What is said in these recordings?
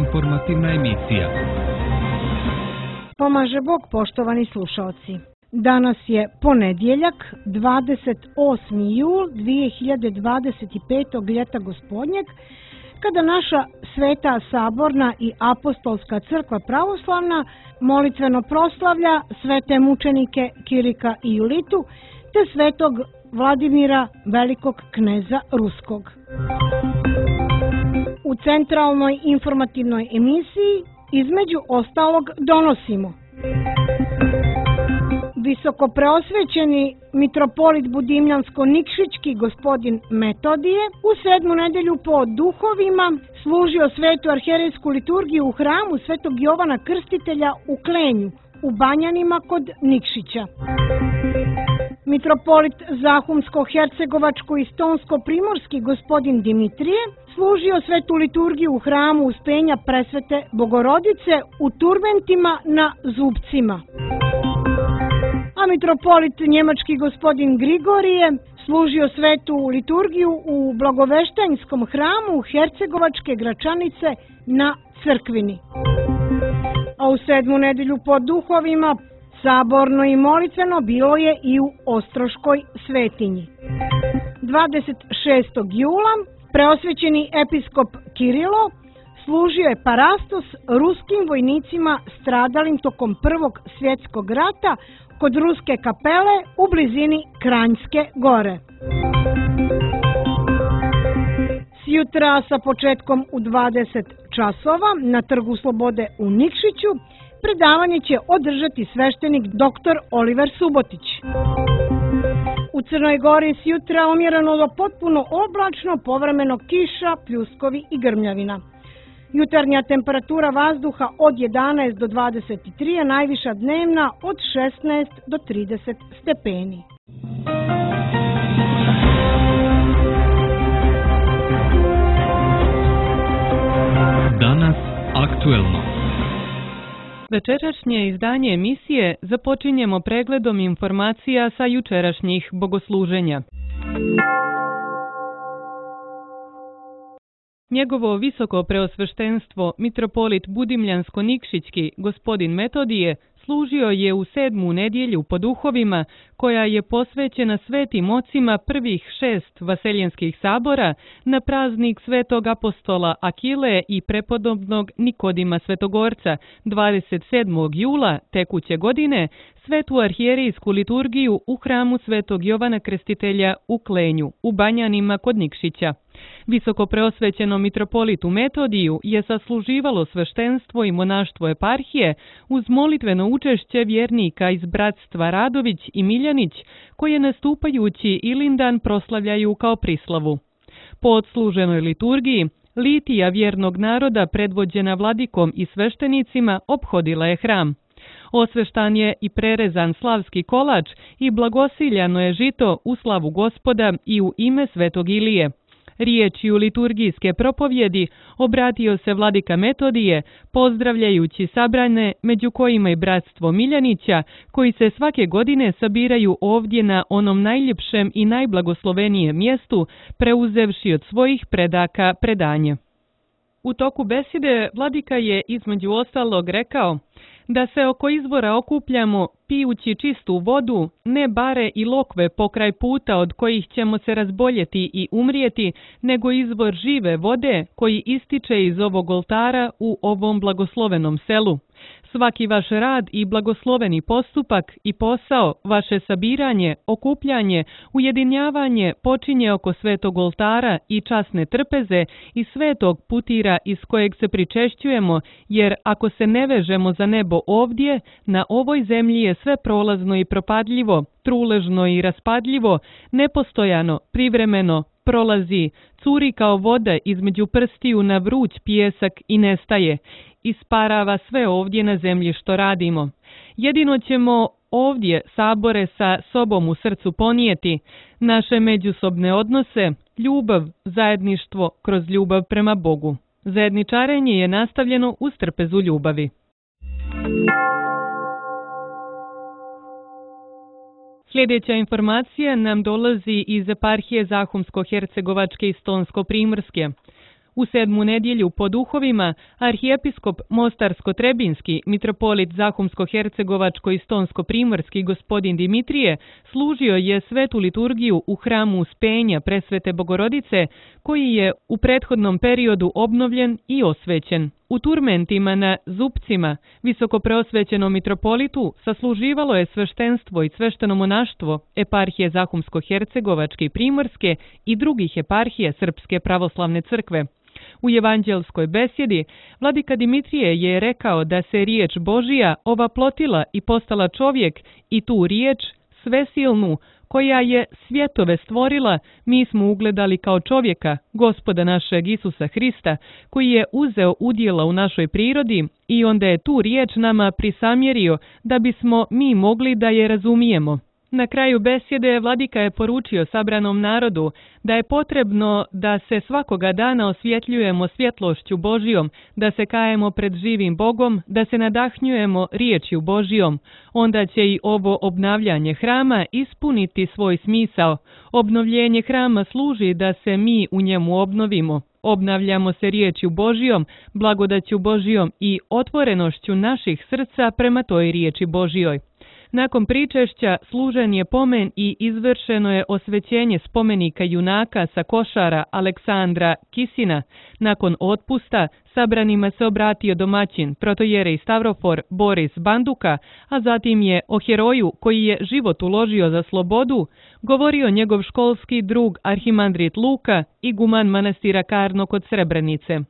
Informativna emisija. Pomaže Bog, poštovani slušaoci. Danas je ponedjeljak, 28. jul 2025. ljeta gospodnjeg, kada naša Sveta Saborna i Apostolska crkva pravoslavna molitveno proslavlja svete mučenike Kirika i Julitu te svetog Vladimira, velikog kneza Ruskog. U centralnoj informativnoj emisiji između ostalog donosimo: visoko preosvećeni mitropolit Budimljansko-Nikšićki gospodin Metodije u 7. nedelju po duhovima služio svetu arherejsku liturgiju u hramu svetog Jovana Krstitelja u Klenju, u Banjanima kod Nikšića. Mitropolit Zahumsko-Hercegovačko i Stonsko-Primorski gospodin Dimitrije služio svetu liturgiju u hramu Uspenja Presvete Bogorodice u turbentima na zubcima. A mitropolit njemački gospodin Grigorije služio svetu liturgiju u Blagoveštanjskom hramu Hercegovačke Gračanice na Crkvini. A u 7. nedelju po duhovima saborno i molitveno bilo je i u Ostroškoj svetinji. 26. jula preosvećeni episkop Kirilo služio je parastos ruskim vojnicima stradalim tokom Prvog svjetskog rata kod Ruske kapele u blizini Kranjske gore. Sjutra sa početkom u 20 časova na Trgu Slobode u Nikšiću predavanje će održati sveštenik dr. Oliver Subotić. U Crnoj Gori sjutra umjereno do potpuno oblačno, povremeno kiša, pljuskovi i grmljavina. Jutarnja temperatura vazduha od 11 do 23, a najviša dnevna od 16 do 30 stepeni. Danas aktuelno. Večerašnje izdanje emisije započinjemo pregledom informacija sa jučerašnjih bogosluženja. Njegovo visoko preosveštenstvo mitropolit Budimljansko-Nikšićki gospodin Metodije služio je u 7. nedjelju po duhovima, koja je posvećena svetim ocima prvih 6 vaseljenskih sabora na praznik svetog apostola Akile i prepodobnog Nikodima Svetogorca 27. jula tekuće godine, svetu arhijerejsku liturgiju u hramu svetog Jovana Krstitelja u Klenju, u Banjanima kod Nikšića. Visoko preosvećenom mitropolitu Metodiju je sasluživalo sveštenstvo i monaštvo eparhije uz molitveno učešće vjernika iz bratstva Radović i Miljanić, koje nastupajući Ilindan proslavljaju kao prislavu. Po odsluženoj liturgiji, litija vjernog naroda predvođena vladikom i sveštenicima ophodila je hram. Osveštan je i prerezan slavski kolač i blagosiljano je žito u slavu Gospoda i u ime svetog Ilije. Riječju liturgijske propovjedi obratio se vladika Metodije, pozdravljajući sabrane, među kojima i bratstvo Miljanića, koji se svake godine sabiraju ovdje na onom najljepšem i najblagoslovenijem mjestu, preuzevši od svojih predaka predanje. U toku besede vladika je između ostalog rekao da se oko izvora okupljamo pijući čistu vodu, ne bare i lokve pokraj puta od kojih ćemo se razboljeti i umrijeti, nego izvor žive vode koji ističe iz ovog oltara u ovom blagoslovenom selu. Svaki vaš rad i blagosloveni postupak i posao, vaše sabiranje, okupljanje, ujedinjavanje počinje oko svetog oltara i časne trpeze i svetog putira iz kojeg se pričešćujemo, jer ako se ne vežemo za nebo ovdje, na ovoj zemlji je sve prolazno i propadljivo, truležno i raspadljivo, nepostojano, privremeno, prolazi, curi kao voda između prstiju na vruć pijesak i nestaje. Isparava sve ovdje na zemlji što radimo. Jedino ćemo ovdje sabore sa sobom u srcu ponijeti, naše međusobne odnose, ljubav, zajedništvo kroz ljubav prema Bogu. Zajedničarenje je nastavljeno uz trpezu ljubavi. Sljedeća informacija nam dolazi iz eparhije Zahumsko-Hercegovačke i Stonsko-Primorske. U 7. nedjelju po duhovima, arhijepiskop Mostarsko-Trebinski, mitropolit Zahumsko-Hercegovačko i Stonsko-Primorski gospodin Dimitrije služio je svetu liturgiju u hramu Uspenja Presvete Bogorodice, koji je u prethodnom periodu obnovljen i osvećen. U Turmentima na Zupcima, visokopreosvećenom mitropolitu, sasluživalo je sveštenstvo i svešteno monaštvo eparhije Zahumsko-Hercegovačke i Primorske i drugih eparhija Srpske pravoslavne crkve. U evanđelskoj besjedi vladika Dimitrije je rekao da se riječ Božija ovaplotila i postala čovjek i tu riječ, svesilnu, koja je svjetove stvorila, mi smo ugledali kao čovjeka, Gospoda našeg Isusa Hrista, koji je uzeo udjela u našoj prirodi i onda je tu riječ nama prisamjerio da bismo mi mogli da je razumijemo. Na kraju besjede vladika je poručio sabranom narodu da je potrebno da se svakoga dana osvjetljujemo svjetlošću Božijom, da se kajemo pred živim Bogom, da se nadahnjujemo riječju Božijom. Onda će i ovo obnavljanje hrama ispuniti svoj smisao. Obnovljenje hrama služi da se mi u njemu obnovimo. Obnavljamo se riječju Božijom, blagodaću Božijom i otvorenošću naših srca prema toj riječi Božijoj. Nakon pričešća služen je pomen i izvršeno je osvećenje spomenika junaka sa Košara Aleksandra Kisina. Nakon otpusta sabranima se obratio domaćin protojerej Stavrofor Boris Banduka, a zatim je o heroju koji je život uložio za slobodu govorio njegov školski drug arhimandrit Luka, iguman manastira Karno kod Srebrenice.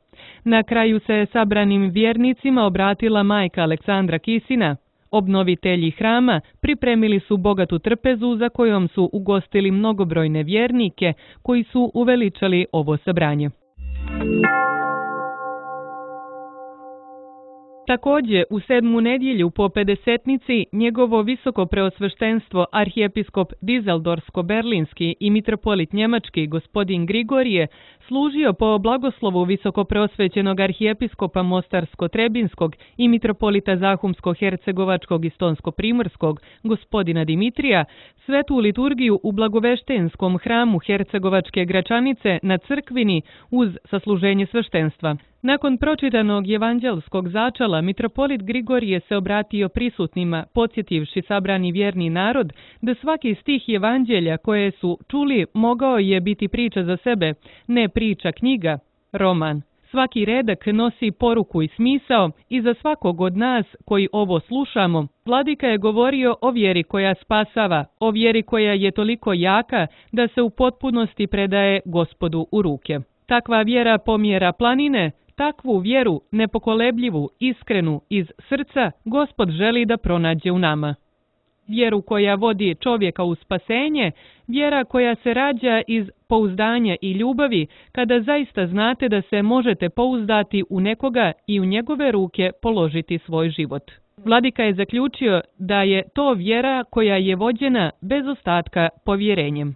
Na kraju se sabranim vjernicima obratila majka Aleksandra Kisina. Obnovitelji hrama pripremili su bogatu trpezu za kojom su ugostili mnogobrojne vjernike koji su uveličali ovo sabranje. Također, u 7. nedjelju po pedesetnici njegovo visoko preosveštenstvo arhijepiskop Dizeldorsko-Berlinski i mitropolit njemački gospodin Grigorije služio po blagoslovu visokopreosvećenog arhijepiskopa Mostarsko-Trebinskog i mitropolita Zahumsko-Hercegovačkog i Stonsko-Primorskog gospodina Dimitrija svetu liturgiju u blagoveštenskom hramu Hercegovačke Gračanice na Crkvini uz sasluženje sveštenstva. Nakon pročitanog evanđelskog začala, mitropolit Grigorije se obratio prisutnima, podsjetivši sabrani vjerni narod da svaki stih evanđelja koje su čuli mogao je biti priča za sebe, ne priča knjiga, roman. Svaki redak nosi poruku i smisao i za svakog od nas koji ovo slušamo, vladika je govorio o vjeri koja spasava, o vjeri koja je toliko jaka da se u potpunosti predaje Gospodu u ruke. Takva vjera pomjera planine, takvu vjeru, nepokolebljivu, iskrenu, iz srca, Gospod želi da pronađe u nama. Vjeru koja vodi čovjeka u spasenje, vjera koja se rađa iz pouzdanja i ljubavi, kada zaista znate da se možete pouzdati u nekoga i u njegove ruke položiti svoj život. Vladika je zaključio da je to vjera koja je vođena bez ostatka povjerenjem.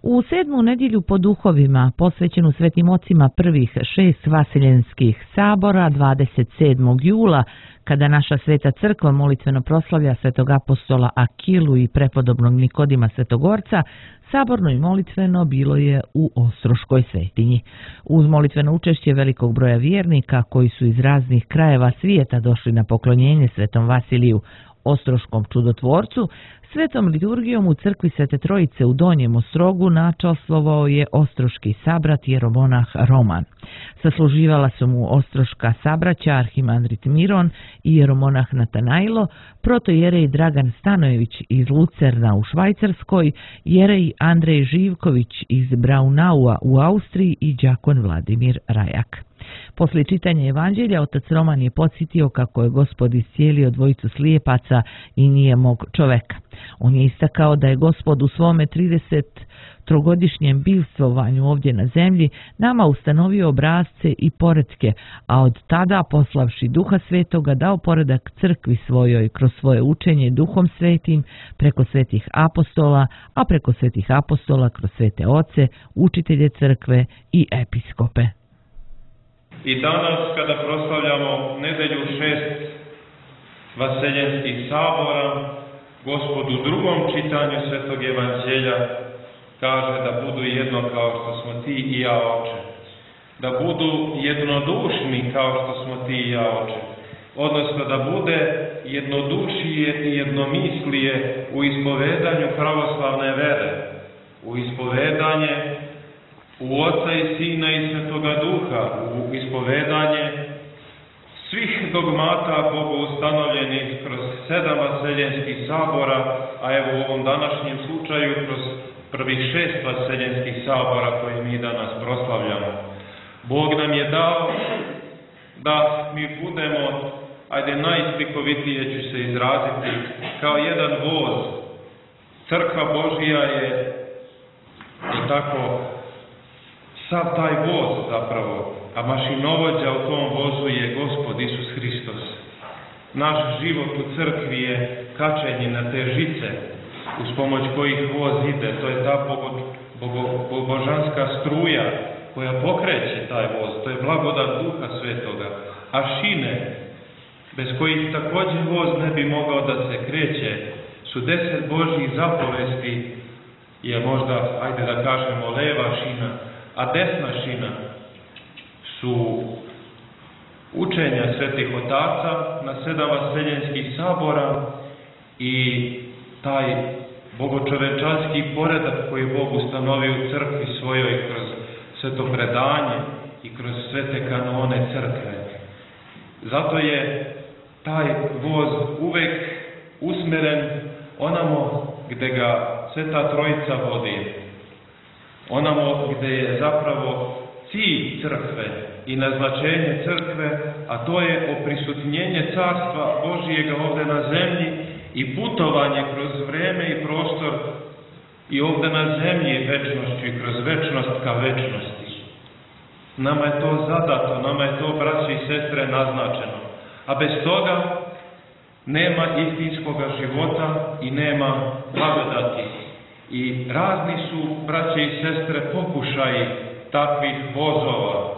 U 7. nedjelju po duhovima, posvećenu svetim ocima prvih 6 vasiljenskih sabora, 27. jula, kada naša sveta crkva molitveno proslavlja svetog apostola Akilu i prepodobnog Nikodima Svetogorca, saborno i molitveno bilo je u Ostroškoj svetinji. Uz molitveno učešće velikog broja vjernika koji su iz raznih krajeva svijeta došli na poklonjenje svetom Vasiliju, Ostroškom čudotvorcu, svetom liturgijom u crkvi Svete Trojice u Donjem Ostrogu načalstvovao je ostroški sabrat jeromonah Roman. Sasluživala su mu ostroška sabraća arhimandrit Miron i jeromonah Natanajlo, protojerej Dragan Stanojević iz Lucerna u Švajcarskoj, jerej Andrej Živković iz Braunaua u Austriji i đakon Vladimir Rajak. Poslije čitanja evanđelja, otac Roman je podsjetio kako je Gospod iscijelio dvojicu slijepaca i nijemog čoveka. On je istakao da je Gospod u svome 33-godišnjem bivstvovanju ovdje na zemlji nama ustanovio obrasce i poretke, a od tada, poslavši Duha Svetoga, dao poredak crkvi svojoj kroz svoje učenje Duhom Svetim, preko svetih apostola, a preko svetih apostola kroz svete oce, učitelje crkve i episkope. I danas, kada proslavljamo nedelju 6 vaseljenskih sabora, Gospod u drugom čitanju Svetog Evanđelja kaže da budu jedno kao što smo ti i ja, Oče. Da budu jednodušni kao što smo ti i ja, Oče. Odnosno da bude jednodušije i jednomislije u ispovedanju pravoslavne vere, u ispovedanje u Oca i Sina i Svetoga Duha, u ispovedanje svih dogmata Bogu ustanovljenih kroz 7 vaseljenskih sabora, a evo u ovom današnjem slučaju kroz prvih 6 vaseljenskih sabora koje mi danas proslavljamo. Bog nam je dao da mi budemo, ajde najslikovitije ću se izraziti, kao jedan voz. Crkva Božija je i tako sav taj voz zapravo, a mašinovođa u tom vozu je Gospod Isus Hristos. Naš život u crkvi je kačenje na te žice uz pomoć kojih voz ide. To je ta božanska struja koja pokreće taj voz. To je blagodat Duha Svetoga. A šine, bez kojih također voz ne bi mogao da se kreće, su 10 Božjih zapovesti, je možda, ajde da kažemo, leva šina, a desna šina su učenja svetih otaca na 7 vaseljenskih sabora i taj bogočovečanski poredak koji Bog ustanovi u crkvi svojoj kroz sveto predanje i kroz svete kanone crkve. Zato je taj voz uvek usmeren onamo gde ga Sveta Trojica vodi. Onamo gde je zapravo cilj crkve i naznačenje crkve, a to je oprisutnjenje Carstva Božijega ovde na zemlji i putovanje kroz vreme i prostor i ovde na zemlji večnošću i kroz večnost ka večnosti. Nama je to zadato, nama je to, braći i sestre, naznačeno. A bez toga nema istinskog života i nema blagodati. I razni su, braće i sestre, pokušaji takvih vozova.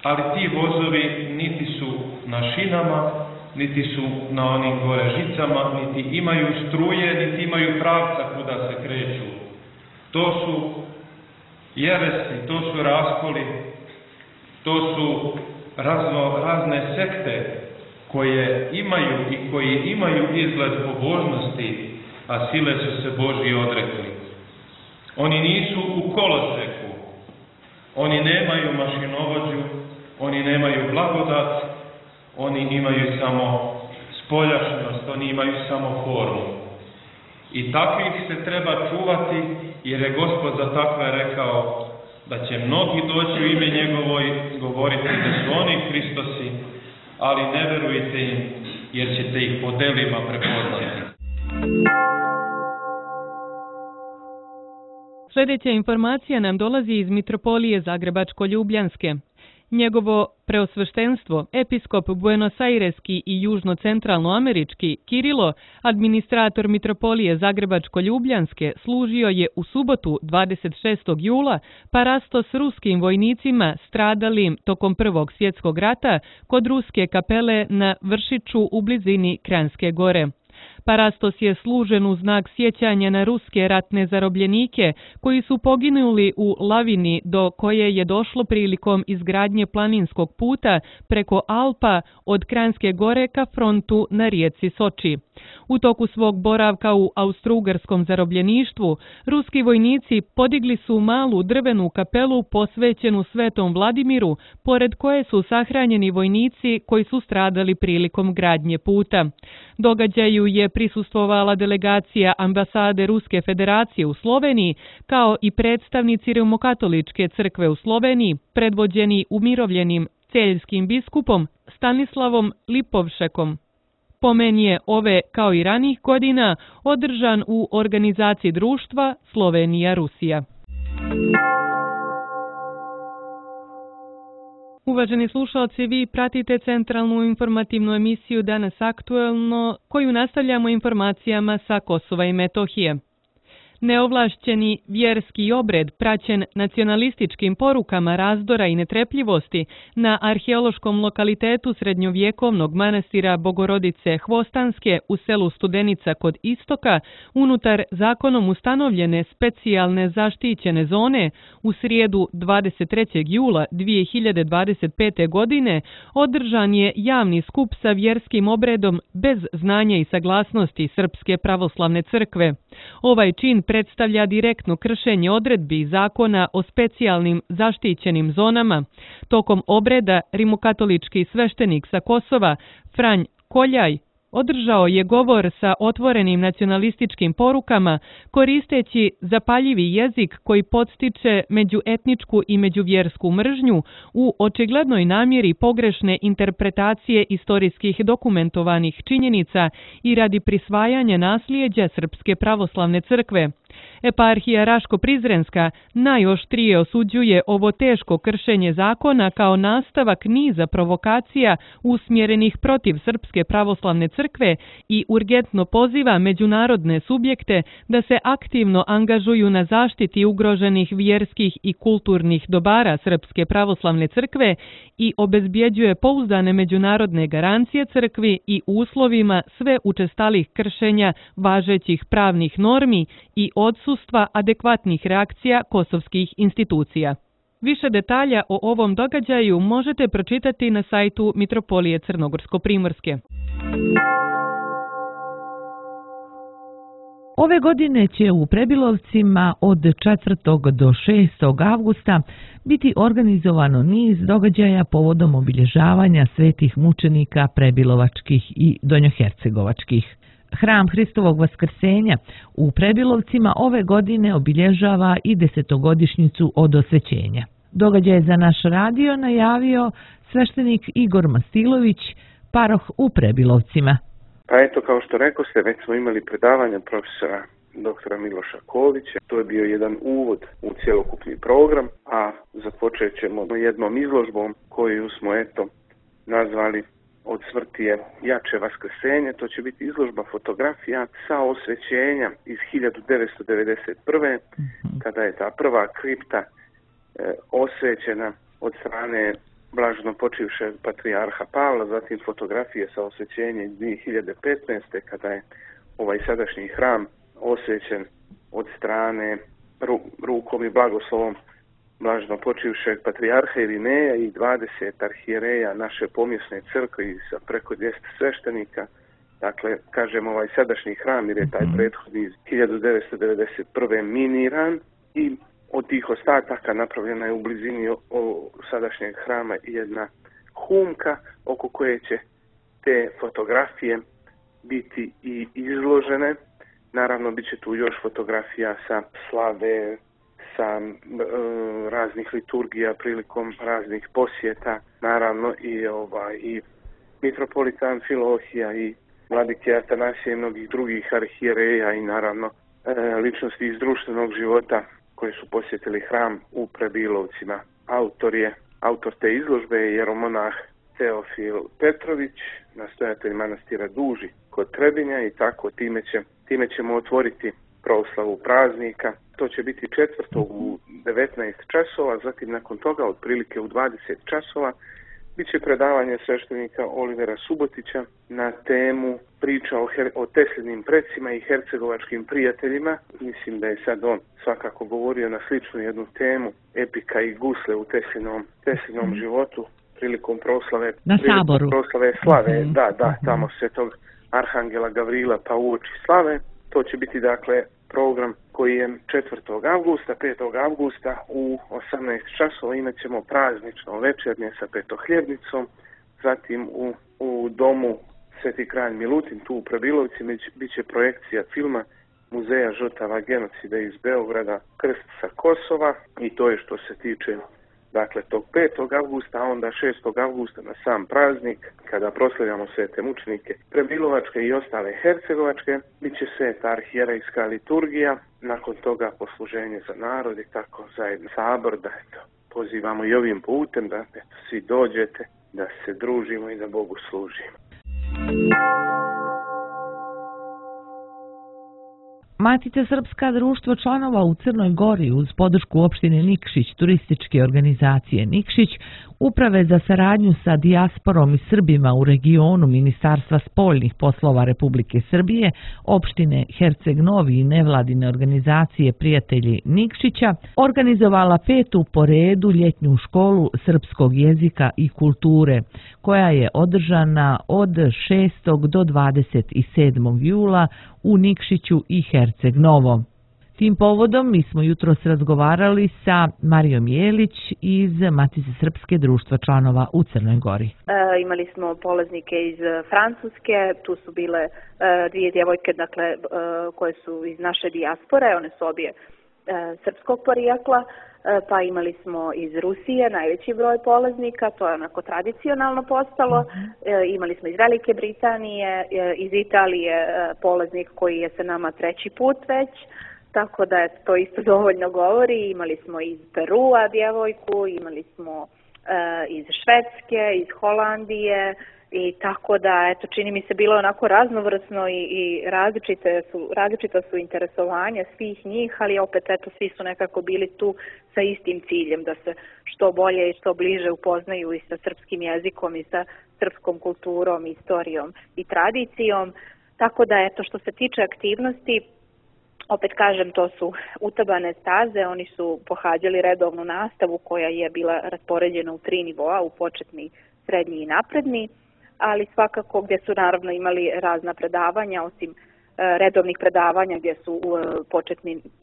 Ali ti vozovi niti su na šinama, niti su na onim gore žicama, niti imaju struje, niti imaju pravca kuda se kreću. To su jeresi, to su raskoli, to su razne sekte koje imaju i koji imaju izgled pobožnosti, a sile su se Božji odrekli. Oni nisu u koloseku, oni nemaju mašinovođu, oni nemaju blagodat, oni imaju samo spoljašnjost, oni imaju samo formu. I takvih se treba čuvati, jer je Gospod za takve rekao da će mnogi doći u ime njegovo i govoriti da su oni Hristosi, ali ne verujte im, jer ćete ih po delima prepoznati. Sljedeća informacija nam dolazi iz Mitropolije Zagrebačko-Ljubljanske. Njegovo preosveštenstvo, episkop Buenos Aireski i južno-centralnoamerički Kirilo, administrator Mitropolije Zagrebačko-Ljubljanske, služio je u subotu 26. jula parasto s ruskim vojnicima stradalim tokom Prvog svjetskog rata kod ruske kapele na Vršiću u blizini Kranjske gore. Parastos je služen u znak sjećanja na ruske ratne zarobljenike koji su poginuli u lavini do koje je došlo prilikom izgradnje planinskog puta preko Alpa od Kranjske gore ka frontu na rijeci Soči. U toku svog boravka u austrougarskom zarobljeništvu, ruski vojnici podigli su malu drvenu kapelu posvećenu Svetom Vladimiru, pored koje su sahranjeni vojnici koji su stradali prilikom gradnje puta. Događaju je prisustvovala delegacija ambasade Ruske federacije u Sloveniji, kao i predstavnici Rimokatoličke crkve u Sloveniji, predvođeni umirovljenim celjskim biskupom Stanislavom Lipovšekom. Pomen je ove, kao i ranih godina, održan u organizaciji društva Slovenija-Rusija. Uvaženi slušalci, vi pratite centralnu informativnu emisiju Danas aktuelno, koju nastavljamo informacijama sa Kosova i Metohije. Neovlašćeni vjerski obred praćen nacionalističkim porukama razdora i netrepljivosti na arheološkom lokalitetu srednjovjekovnog manastira Bogorodice Hvostanske u selu Studenica kod Istoka unutar zakonom ustanovljene specijalne zaštićene zone u srijedu 23. jula 2025. godine održan je javni skup sa vjerskim obredom bez znanja i saglasnosti Srpske pravoslavne crkve. Ovaj čin predstavlja direktno kršenje odredbi zakona o specijalnim zaštićenim zonama. Tokom obreda rimokatolički sveštenik sa Kosova Franj Koljaj održao je govor sa otvorenim nacionalističkim porukama koristeći zapaljivi jezik koji podstiče međuetničku i međuvjersku mržnju u očiglednoj namjeri pogrešne interpretacije istorijskih dokumentovanih činjenica i radi prisvajanja nasljeđa Srpske pravoslavne crkve. Eparhija Raško-Prizrenska najoštrije osuđuje ovo teško kršenje zakona kao nastavak niza provokacija usmjerenih protiv Srpske pravoslavne crkve i urgentno poziva međunarodne subjekte da se aktivno angažuju na zaštiti ugroženih vjerskih i kulturnih dobara Srpske pravoslavne crkve i obezbjeđuje pouzdane međunarodne garancije crkvi i uslovima sve učestalih kršenja važećih pravnih normi i odsustva adekvatnih reakcija kosovskih institucija. Više detalja o ovom događaju možete pročitati na sajtu Mitropolije Crnogorsko-Primorske. Ove godine će u Prebilovcima od 4. do 6. avgusta biti organizovano niz događaja povodom obilježavanja svetih mučenika prebilovačkih i donjohercegovačkih. Hram Hristovog vaskrsenja u Prebilovcima ove godine obilježava i 10-godišnjicu od osvećenja. Događaj za naš radio najavio sveštenik Igor Mastilović, paroh u Prebilovcima. Pa eto, kao što rekoste, već smo imali predavanja profesora doktora Miloša Kovića. To je bio jedan uvod u cjelokupni program, a započet ćemo jednom izložbom koju smo nazvali Od smrti je jače vaskrsenje. To će biti izložba fotografija sa osvećenja iz 1991. kada je ta prva kripta osvećena od strane blaženo počivšeg patrijarha Pavla, zatim fotografije sa osvećenjem iz 2015. kada je ovaj sadašnji hram osvećen od strane rukom i blagoslovom blaženo počivšeg patrijarha Irineja i 20 arhijereja naše pomjesne crkve i sa preko 200 sveštenika. Dakle, kažem ovaj sadašnji hram jer je taj prethodni iz 1991. miniran i od tih ostataka napravljena je u blizini sadašnjeg hrama jedna humka oko koje će te fotografije biti i izložene. Naravno, bit će tu još fotografija sa slave, sa raznih liturgija prilikom raznih posjeta, naravno i mitropolita Amfilohija i vladike Atanasije i mnogih drugih arhijereja i naravno ličnosti iz društvenog života koji su posjetili hram u Prebilovcima. Autor te izložbe je jeromonah Teofil Petrović, nastojatelj manastira Duži kod Trebinja i tako time ćemo otvoriti proslavu praznika. To će biti 4. u 19 časova, zatim nakon toga otprilike u 20 časova bit će predavanje sveštenika Olivera Subotića na temu priča o Teslinim precima i hercegovačkim prijateljima. Mislim da je sad on svakako govorio na sličnu jednu temu, epika i gusle u Teslinom životu prilikom proslave slave. Da, tamo svetog arhangela Gavrila pa uoči slave. To će biti dakle program koji je 4. avgusta, 5. avgusta u 18 časova imat ćemo praznično večernje sa petohljebnicom, zatim u domu Sveti kralj Milutin, tu u Prebilovci, bit će projekcija filma Muzeja žrtava genocida iz Beograda, Krst sa Kosova i to je što se tiče dakle tog 5. avgusta, a onda 6. avgusta na sam praznik, kada proslavljamo svete mučenike Prebilovačke i ostale hercegovačke, bit će sveta arhijerejska liturgija, nakon toga posluženje za narod i tako zajedno sabor, da pozivamo i ovim putem da svi dođete, da se družimo i da Bogu služimo. Matica Srpska društvo članova u Crnoj Gori uz podršku opštine Nikšić, turističke organizacije Nikšić, Uprave za saradnju sa dijasporom i Srbima u regionu Ministarstva spoljnih poslova Republike Srbije, opštine Herceg Novi i nevladine organizacije Prijatelji Nikšića, organizovala 5. po redu ljetnju školu srpskog jezika i kulture, koja je održana od 6. do 27. jula u Nikšiću i Herceg Novom. Tim povodom mi smo jutros razgovarali sa Marijom Jelić iz Matice Srpske društva članova u Crnoj Gori. Imali smo polaznike iz Francuske, tu su bile dvije djevojke koje su iz naše dijaspore, one su obje srpskog porijekla, pa imali smo iz Rusije najveći broj polaznika, to je onako tradicionalno postalo, imali smo iz Velike Britanije, iz Italije polaznik koji je sa nama 3. put već, tako da to isto dovoljno govori. Imali smo iz Perua djevojku, imali smo iz Švedske, iz Holandije i tako da, eto, čini mi se bilo onako raznovrsno i različita su interesovanja svih njih, ali opet, eto, svi su nekako bili tu sa istim ciljem, da se što bolje i što bliže upoznaju i sa srpskim jezikom i sa srpskom kulturom, istorijom i tradicijom. Tako da, eto, što se tiče aktivnosti, opet kažem, to su utabane staze, oni su pohađali redovnu nastavu koja je bila raspoređena u 3 nivoa, u početni, srednji i napredni, ali svakako gdje su naravno imali razna predavanja, osim redovnih predavanja gdje su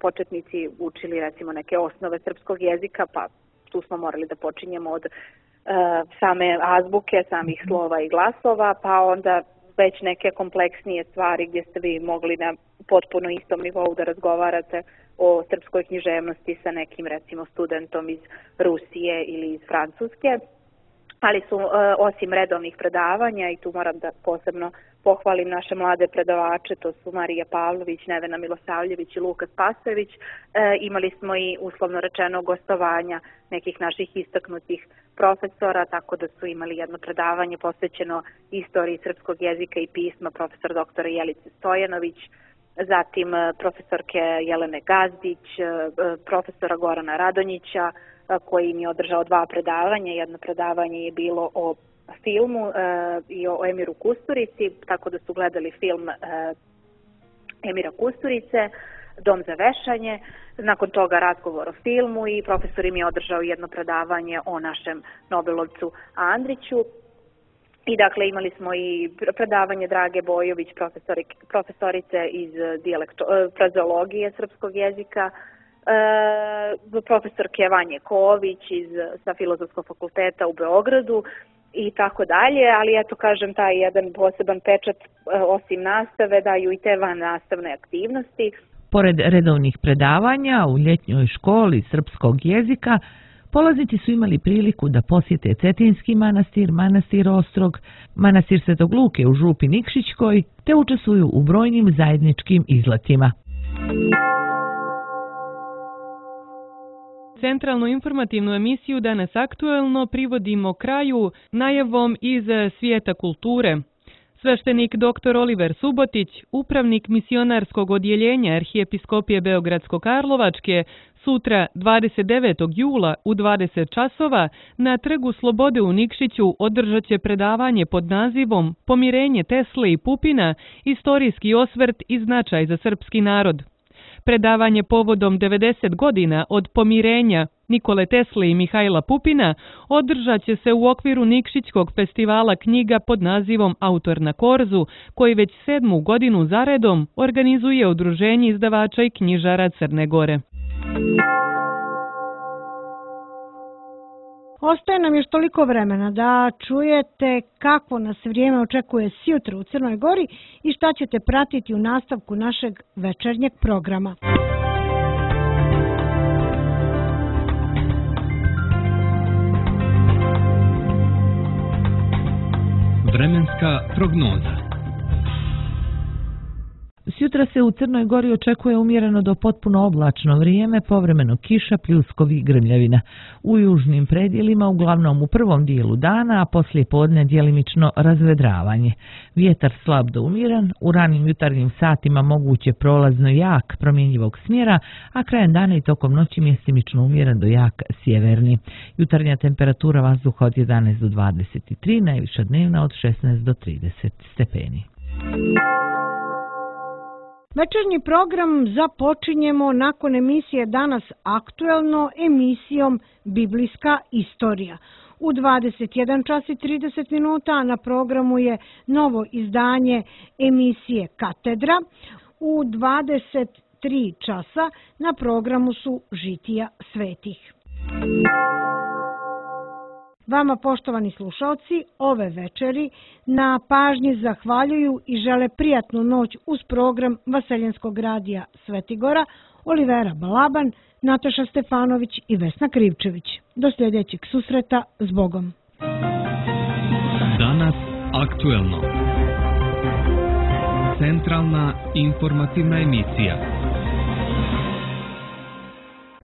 početnici učili recimo neke osnove srpskog jezika, pa tu smo morali da počinjemo od same azbuke, samih slova i glasova, pa onda već neke kompleksnije stvari gdje ste vi mogli na potpuno istom nivou da razgovarate o srpskoj književnosti sa nekim recimo studentom iz Rusije ili iz Francuske. Ali su osim redovnih predavanja, i tu moram da posebno pohvalim naše mlade predavače, to su Marija Pavlović, Nevena Milosavljević i Luka Spasojević, imali smo i uslovno rečeno gostovanja nekih naših istaknutih profesora, tako da su imali jedno predavanje posvećeno istoriji srpskog jezika i pisma profesor dr. Jelice Stojanović, zatim profesorke Jelene Gazdić, profesora Gorana Radonjića, koji im je održao 2 predavanja. Jedno predavanje je bilo o filmu i o Emiru Kusturici, tako da su gledali film Emira Kusturice, Dom za vešanje, nakon toga razgovor o filmu i profesor im je održao jedno predavanje o našem Nobelovcu Andriću. I dakle imali smo i predavanje Drage Bojović, profesorice iz frazeologije srpskog jezika, profesorke Vanje Ković sa Filozofskog fakulteta u Beogradu i tako dalje, ali eto kažem, taj jedan poseban pečat osim nastave daju i te van nastavne aktivnosti. Pored redovnih predavanja u ljetnjoj školi srpskog jezika, polaznici su imali priliku da posjete Cetinski manastir, manastir Ostrog, manastir Svetog Luke u Župi Nikšićkoj, te učestvuju u brojnim zajedničkim izletima. Centralnu informativnu emisiju Danas aktuelno privodimo kraju najavom iz svijeta kulture. Sveštenik dr. Oliver Subotić, upravnik misionarskog odjeljenja Arhijepiskopije Beogradsko-Karlovačke, sutra 29. jula u 20 časova na Trgu Slobode u Nikšiću održat će predavanje pod nazivom Pomirenje Tesle i Pupina, istorijski osvrt i značaj za srpski narod. Predavanje povodom 90 godina od pomirenja Nikole Tesle i Mihajla Pupina održat će se u okviru Nikšićkog festivala knjiga pod nazivom Autor na korzu, koji već 7. godinu zaredom organizuje Udruženje izdavača i knjižara Crne Gore. Ostaje nam još toliko vremena da čujete kako nas vrijeme očekuje sjutra u Crnoj Gori i šta ćete pratiti u nastavku našeg večernjeg programa. Vremenska prognoza. Sjutra se u Crnoj Gori očekuje umjereno do potpuno oblačno vrijeme, povremeno kiša, pljuskovi i grmljavina. U južnim predjelima, uglavnom u prvom dijelu dana, a poslije podne djelimično razvedravanje. Vjetar slab do umjeren, u ranim jutarnjim satima moguće prolazno jak promjenjivog smjera, a krajem dana i tokom noći mjestimično umjeren do jak sjeverni. Jutarnja temperatura vazduha od 11 do 23, najviša dnevna od 16 do 30 stepeni. Večernji program započinjemo nakon emisije Danas aktuelno emisijom Biblijska istorija. U 21 čas i 30 minuta na programu je novo izdanje emisije Katedra. U 23 časa na programu su Žitija svetih. Vama, poštovani slušalci, ove večeri na pažnji zahvaljuju i žele prijatnu noć uz program Vaseljenskog radija Svetigora, Olivera Balaban, Nataša Stefanović i Vesna Krivčević. Do sljedećeg susreta, s Bogom. Danas aktuelno. Centralna informativna emisija.